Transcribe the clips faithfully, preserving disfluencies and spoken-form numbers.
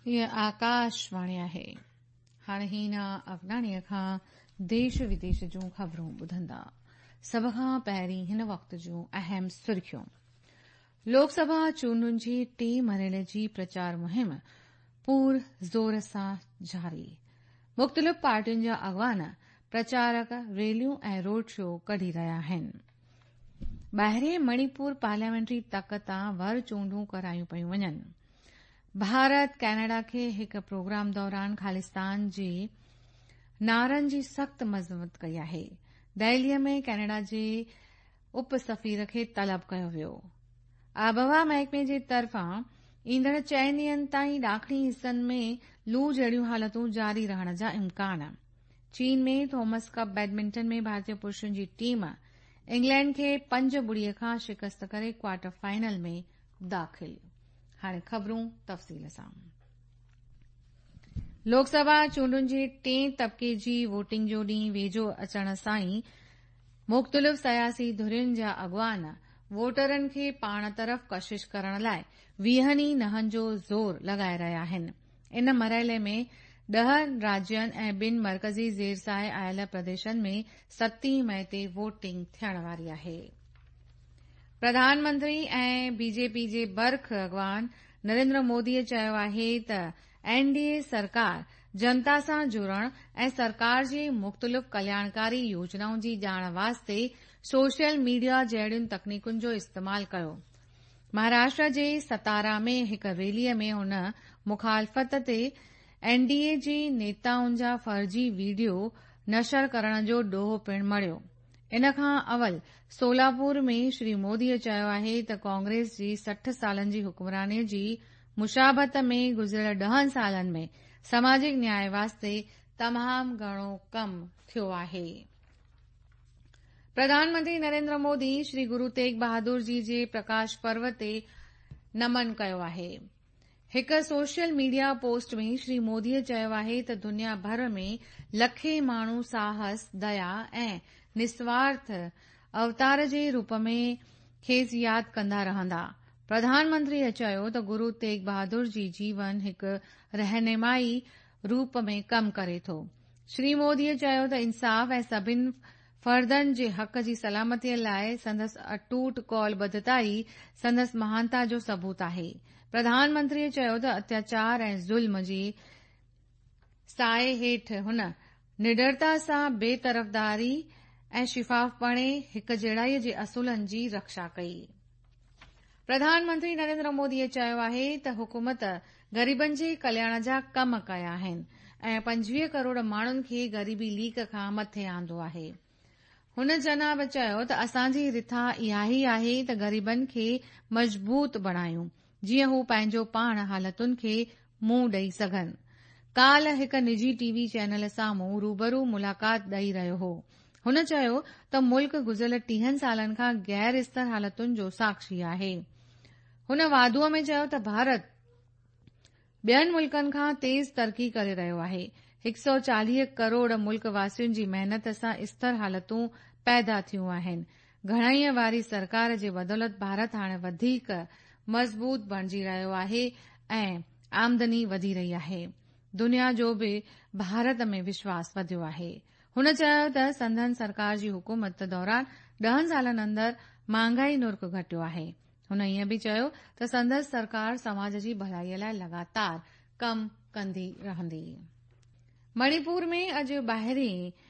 هيء آڪاشواڻي آهي. هاڻي هينا افغانيء کان ديش وديش جون خبرون ٻڌندا. سڀ کان پهرين هن وقت جون اهم سرخيون. لوڪ سڀا چونڊن جي ٽئين مرحلي جي پرچار مهم پور زور سان جاري. مختلف پارٽين جا اڳواڻ پرچارڪ ريليون ۽ روڊ شو ڪڍي رهيا آهن. ٻاهرين مڻيپور پارليامينٽري تڪ تان ور چونڊون ڪرايون پيون وڃن. ڀارت ڪئناڊا کي هڪ پروگرام دوران خالصتان جي نعرن جي سخت مذمت ڪئي آهي. دهليء ۾ ڪئناڊا جي اپ سفير کي طلب ڪيو ويو. آبهوا محڪمي جي طرفان ايندڙ چئن ڏينهن تائين ڏاکڻي حصن ۾ لو جهڙيون حالتون جاري رهڻ جا امڪان. چين ۾ ٿامس ڪپ بيڊمنٽن ۾ ڀارتي پرشن جي ٽيم انگلينڊ کي پنج ٻڙيء کان شڪست ڪري ڪوارٽر فائنل ۾ داخل. هاڻي خبرون تفصيل سان. لوڪ سڀا چونڊن جي ٽئين طبقي جي ووٽنگ جو ڏينهن ويجهو اچڻ سان ئي مختلف سياسي ڌرين جا اڳواڻ ووٽرن کي پاڻ طرف ڪشش ڪرڻ لاءِ ويهن ئي نهن جو زور لڳائي رهيا آهن. ان مرحلي ۾ ڏهه راجين ۽ ٻن مرڪزي زير سايي آيل پرديشن ۾ ستين مئي تي ووٽنگ ٿيڻ واري آهي. پرڌان منتري ۽ بي جي پي جي برک اڳواڻ نريندر موديء چيو آهي ته اين ڊي اي سرڪار جنتا سان جڙڻ ۽ سرڪار جي مختلف ڪلياڻڪاري يوجنائن جي ڄاڻ واسطي سوشل ميڊيا جهڙين تڪنيڪن جو استعمال ڪيو. مهاراشٽر جي ستارا ۾ هڪ ريليء ۾ هن مخالفت تي اين ڊي اي جي نيتائن جا فرضي وڊيو نشر ڪرڻ جو ڏوهه پڻ مڙهيو. ان کان اول سولاپور ۾ شري موديء چيو آهي ته ڪانگريس جي سٺ سالن جي حڪمرانيء جي مشابهت ۾ گذريل ڏهن سالن ۾ سماجڪ نياء واسطي تمام گهڻو ڪم ٿيو آهي. پرڌان منتري نريندر مودي شري گرو تيغ بهادر جي جي پرڪاش پرو تي نمن ڪيو آهي. هڪ سوشل ميڊيا پوسٽ ۾ شري موديء چيو آهي ته دنيا ڀر ۾ لکين ماڻهو ساهس، ديا ۽ نسوارٿ اوتار جي روپ ۾ کيس ياد ڪندا رهندا. پرڌان منتريء چيو ته گرو تيغ بهادر جي جيون هڪ رهنمائي روپ ۾ ڪم ڪري ٿو. شري موديء چيو ته انصاف ۽ سڀني فردن جي حق جي سلامتيء لاءِ سندس اٽوٽ قول ٻڌتا ئي سندس مهانتا جو ثبوت آهي. پرڌان منتريء چيو ته اتياچار ۽ ظلم جي سايي هيٺ هن نڊرتا سان بي طرفداري ۽ شفافپڻي هڪجهڙائيء جي اصولن جي رڪشا ڪئي. پرڌان منتري نريندر موديء چيو آهي ته حڪومت غريبن جي ڪلياڻ جا ڪم ڪيا آهن ۽ پنجويهه ڪروڙ ماڻهن کي غريبي ليڪ کان مٿي آندو آهي. هن جناب چيو ته اسان جي رٿا اها ئي آهي ته غريبن کي مضبوط بڻايون جيئن هو پنهنجو پاڻ حالتن کي منهن ڏئي سگهن. ڪالهه هڪ نجي ٽي وي چينل سامهون روبرو ملاقات ڏئي رهيو هو. هن چيو ته ملڪ گذريل ٽيهن سالن کان غير اسٿر حالتن جو ساکشي آهي. هن واڌوءَ ۾ چيو ته ڀارت ٻين ملڪن کان تيز ترقي ڪري رهيو آهي. هڪ سؤ چاليهه ڪروڙ ملڪ واسين جي محنت سان اسٿر حالتون پيدا ٿيون آهن. گهڻائيءَ واري سرڪار جي بدولت ڀارت هاڻي وڌيڪ مضبوط بڻجي رهيو آهي ۽ آمدني وڌي رهي آهي. دنيا جو به ڀارت ۾ وشواس وڌيو آهي. هن چيو ته سندن سرڪار جي حڪومت دوران ڏهن سالن اندر مهانگائي نرخ گهٽيو آهي. هن ائين به چيو ته سندس سرڪار سماج جي ڀلائيءَ لاءِ لڳاتار ڪم ڪندي رهندي. مڻيپور ۾ اڄ ٻاهرين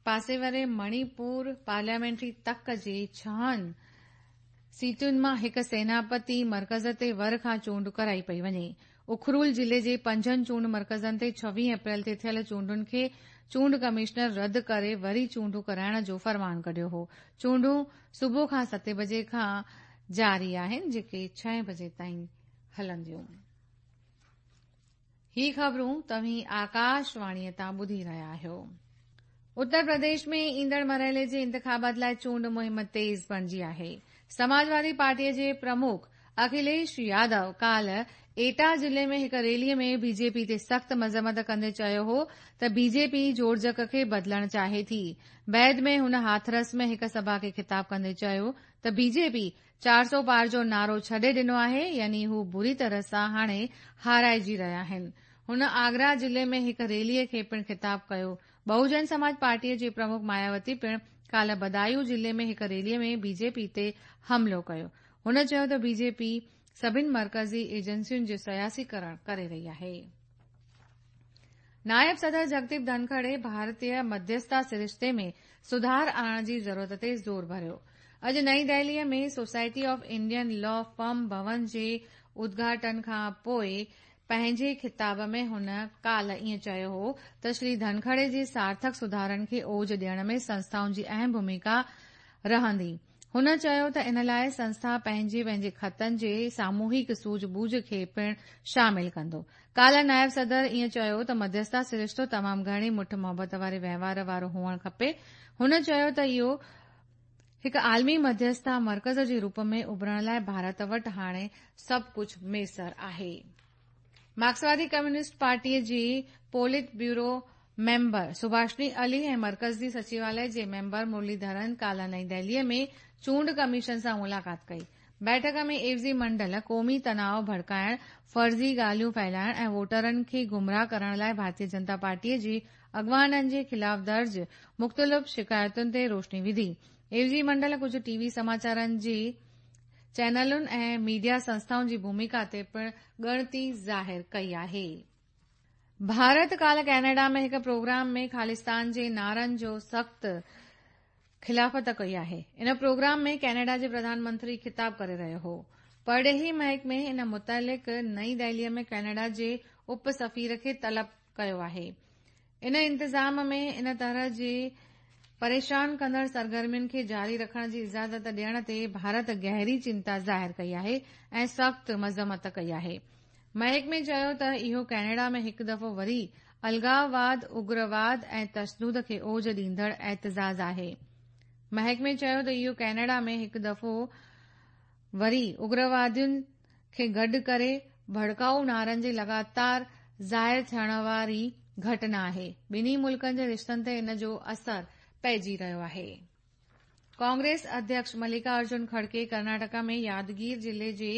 پاسي واري مڻيپور پارليامينٽري تڪ جي ڇهن سيٽن مان هڪ سيناپتي مرڪز تي ور کان چونڊ ڪرائي پئي وڃي. اکرول ضلعي جي پنجن چونڊ مرڪزن تي ڇويهه اپريل تي ٿيل چونڊن کي چونڊ ڪمشنر رد ڪري وري چونڊون ڪرائڻ جو فرمان ڪڍيو هو. چونڊون صبح کان ستين بجي کان جاري آهن جيڪي ڇهين بجي تائين هلنديون. هي خبرون توهين آڪاشواڻيءَ تان ٻڌي رهيا آهيو. اتر پرديش ۾ ايندڙ مرحلي جي انتخابات لاءِ چونڊ مهم تيز بڻجي آهي. سماجوادي پارٽيءَ جي پرمک اکليش يادو ڪالهه ايٽا ضلعي ۾ هڪ ريلي ۾ بي جي پي تي سخت مذمت ڪندي چيو هو ته بي جي پي جوڙجڪ کي بدلڻ چاهي ٿي. بعد ۾ هن هاٿرس ۾ هڪ سڀا کي خطاب ڪندي چيو ته بي جي پي چار سؤ پار جو نعرو ڇڏي ڏنو آهي، يعني هو بري طرح سان هاڻي هارائجي رهيا آهن. هن آگرا ضلعي ۾ هڪ ريلي کي پڻ خطاب ڪيو. بهوجن سماج پارٽيء جي پرمک ماياوتي پڻ ڪالهه بدايون ضلعي ۾ هڪ ريلي ۾ بي جي پي تي حملو ڪيو. هن چيو ته بي جي پي سڀني مرڪزي ايجنسين جو سياسيڪرڻ ڪري رهي آهي. نائب صدر جگديپ ڌنکڙ ڀارتيه مڌيسٿتا سرشتي ۾ سڌار آڻڻ جي ضرورت تي زور ڀريو. اڄ نئين دهليء ۾ Society of Indian Law Firm ڀون جي ادگهاٽن کان پوء پنهنجي خطاب ۾ هن ڪالهه ائين چيو هو ته شري ڌنکڙ جي سارٿڪ سڌارن کي اوج ڏيڻ ۾ سنسٿائن جي اهم ڀوميڪا رهندي. هن چيو ته ان لاءِ سنسٿا پنهنجي پنهنجي خطن جي ساموهڪ سوجهه ٻوجهه کي پڻ شامل ڪندو. ڪالهه نائب صدر ائين چيو ته مڌيسٿتا سرشتو تمام گهڻي مٺ محبت واري وهنوار وارو هئڻ کپي. هن چيو ته اهو هڪ عالمي مڌيسٿتا مرڪز جي روپ ۾ اڀرڻ لاءِ ڀارت وٽ هاڻي سڀ ڪجهه ميسر آهي. مارڪسوادي ڪميونسٽ پارٽيء جي پولٽ بيورو ميمبر سڀاشني علي ۽ مرڪزي سچواليه جي ميمبر مرليڌرن ڪالهه نئين دهليء ۾ چونڊ ڪميشن سان ملاقات ڪئي. بيٺڪ ۾ عيوضي منڊل قومي تناءُ ڀڙڪائڻ، فرضي ڳالهيون ڦهلائڻ ۽ ووٽرن کي گمراهه ڪرڻ لاءِ ڀارتيه جنتا پارٽيء جي اڳواڻن جي خلاف درج مختلف شڪايتن تي روشني وڌي. عيوضي منڊل ڪجهه ٽي وي سماچارن جي چينلن ۽ ميڊيا سنسٿائن جي ڀوميڪا تي پڻ ڳڻتي ظاهر ڪئي آهي. ڀارت ڪالهه ڪئناڊا ۾ هڪ پروگرام ۾ خالصتان جي نعرن جو سخت خلافت ڪئي آهي. ان پروگرام ۾ ڪئناڊا جي پرڌان منتري خطاب ڪري رهيو هو. پرڏيهي محڪمي ان متعلق نئين دهليء ۾ ڪئناڊا جي اپ سفير کي طلب ڪيو آهي. ان انتظام ۾ ان طرح جي پريشان ڪندڙ سرگرمين کي جاري رکڻ جي اجازت ڏيڻ تي ڀارت گهري چنتا ظاهر ڪئي آهي ۽ سخت مذمت ڪئي آهي. محڪمي چيو ته اهو ڪئناڊا ۾ هڪ دفعو وري الڳاواد، اگرواد ۽ تشدد کي اوج ڏيندڙ احتجاج آهي. محڪمي چيو ته اهو ڪئناڊا ۾ هڪ دفعو وري اگروادين کي گڏ ڪري ڀڙڪائو نعرن جي لڳاتار ظاهر ٿيڻ واري گهٽنا آهي. ٻنهي ملڪن جي رشتن تي ان جو اثر پئجي رهيو آهي. ڪانگريس اڌيڪش ملڪا ارجن کڙگي ڪرناٽڪا ۾ يادگير ضلعي جي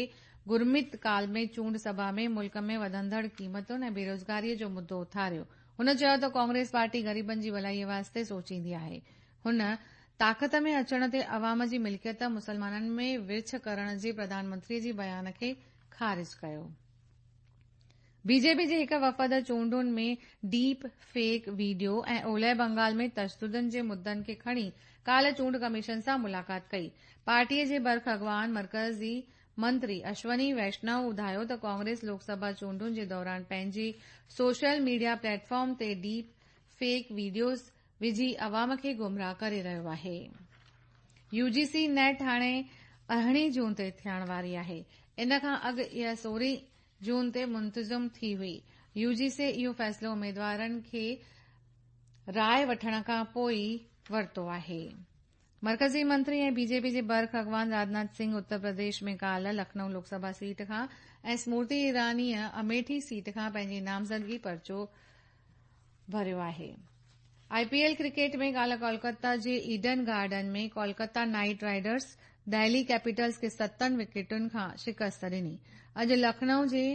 گرمت ڪال ۾ چونڊ سڀا ۾ ملڪ ۾ وڌندڙ قيمتن ۽ بيروزگاريء جو مدو اٿاريو. هن چيو ته ڪانگريس پارٽي غريبن جي ڀلائيء واسطي سوچيندي آهي. هن طاقت ۾ اچڻ تي عوام جي ملڪيت مسلمانن ۾ ورڇ ڪرڻ جي پرڌان منتري جي بيان کي خارج ڪيو. بي جي پي جي هڪ وفد چونڊن ۾ ڊيپ فيڪ وڊيو ۽ اولهه بنگال ۾ تشدد جي مدن کي کڻي ڪالهه چونڊ ڪميشن سان ملاقات ڪئي. پارٽيء جي برک اڳواڻ مرڪزي منتري اشوني ويشنو ٻڌايو ته ڪانگريس لوڪ سڀا چونڊن جي دوران پنهنجي سوشل ميڊيا پليٽ فارم تي ڊيپ فيڪ وڊيوز وجهي عوام کي گمراهه ڪري رهيو آهي. يو جي سي نيٽ هاڻي ارڙهين جون تي ٿيڻ واري آهي. ان کان اڳ اها سورهين جون تي منتظم ٿي هئي. يو جي سي اهو فيصلو اميدوارن کي راءِ وٺڻ کان پوءِ ورتو آهي. مرڪزي منتري ۽ بي جي پي جي برک اڳواڻ راجناٿ سنگهه اتر پرديش ۾ ڪالهه لکنؤ لوڪ سڀا سيٽ کان ۽ سمرتي ايرانيء اميٺي سيٽ کان پنهنجي نامزدگي پرچو ڀريو آهي. آء پي ايل ڪرڪيٽ ۾ ڪالهه ڪولڪتا جي Eden Garden ۾ Kolkata Knight Riders Delhi Capitals کي ستن وڪيٽن کان شڪست ڏني. اڄ لکنؤ جي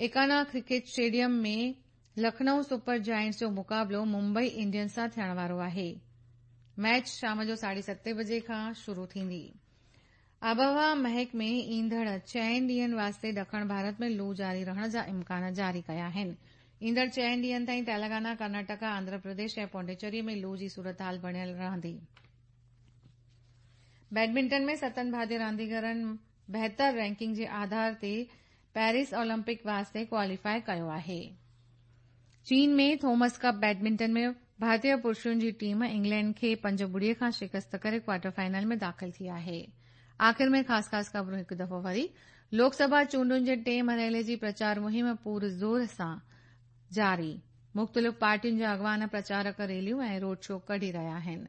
Ekana cricket stadium ۾ Lucknow Super Giants جو مقابلو ممبئي انڊينز سان ٿيڻ وارو آهي. ميچ شام جو ساڍي ستين بجي کان شروع ٿيندي. آبهوا محڪمي ايندڙ چئن ڏينهن واسطي ڏکڻ ڀارت ۾ لو جاري رهڻ جا امڪان جاري ڪيا آهن. ايندڙ چئن ڏينهن تائين تيلنگانا، ڪرناٽڪا، آنڌرا پرديش ۽ پانڊيچيري ۾ لو جي صورتحال بڻيل رهندي. بيڊمنٽن ۾ ستن ڀارتيه رانديگرن بهتر رينڪنگ جي آڌار تي پيرس اولمپڪ واسطي ڪواليفائي ڪيو آهي. چين ۾ ٿومس ڪپ بيڊمنٽن ۾ ڀارتيه پرشن جي ٽيم انگلينڊ کي پنج ٻڙي کان شڪست ڪري ڪوارٽر فائنل ۾ داخل ٿي آهي. آخر ۾ خاص خاص خبرون هڪ دفعو وري. لوڪ سڀا چونڊن جي ٽئين مرحلي جي پرچار مهم پور زور سان جاري. مختلف پارٽين جا اڳواڻ پرچارڪ ريليون ۽ روڊ شو ڪڍي رهيا آهن.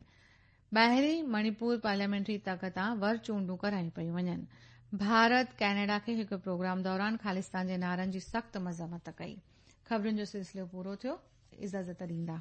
ٻاهرين مڻيپور پارليامينٽري تڪ تان ور چونڊون ڪرايون پيون وڃن. ڀارت ڪئناڊا کي هڪ پروگرام دوران خالستان جي نعرن جي سخت مذمت ڪئي. خبرن جو سلسلو پورو ٿيو. اجازت ڏيندا.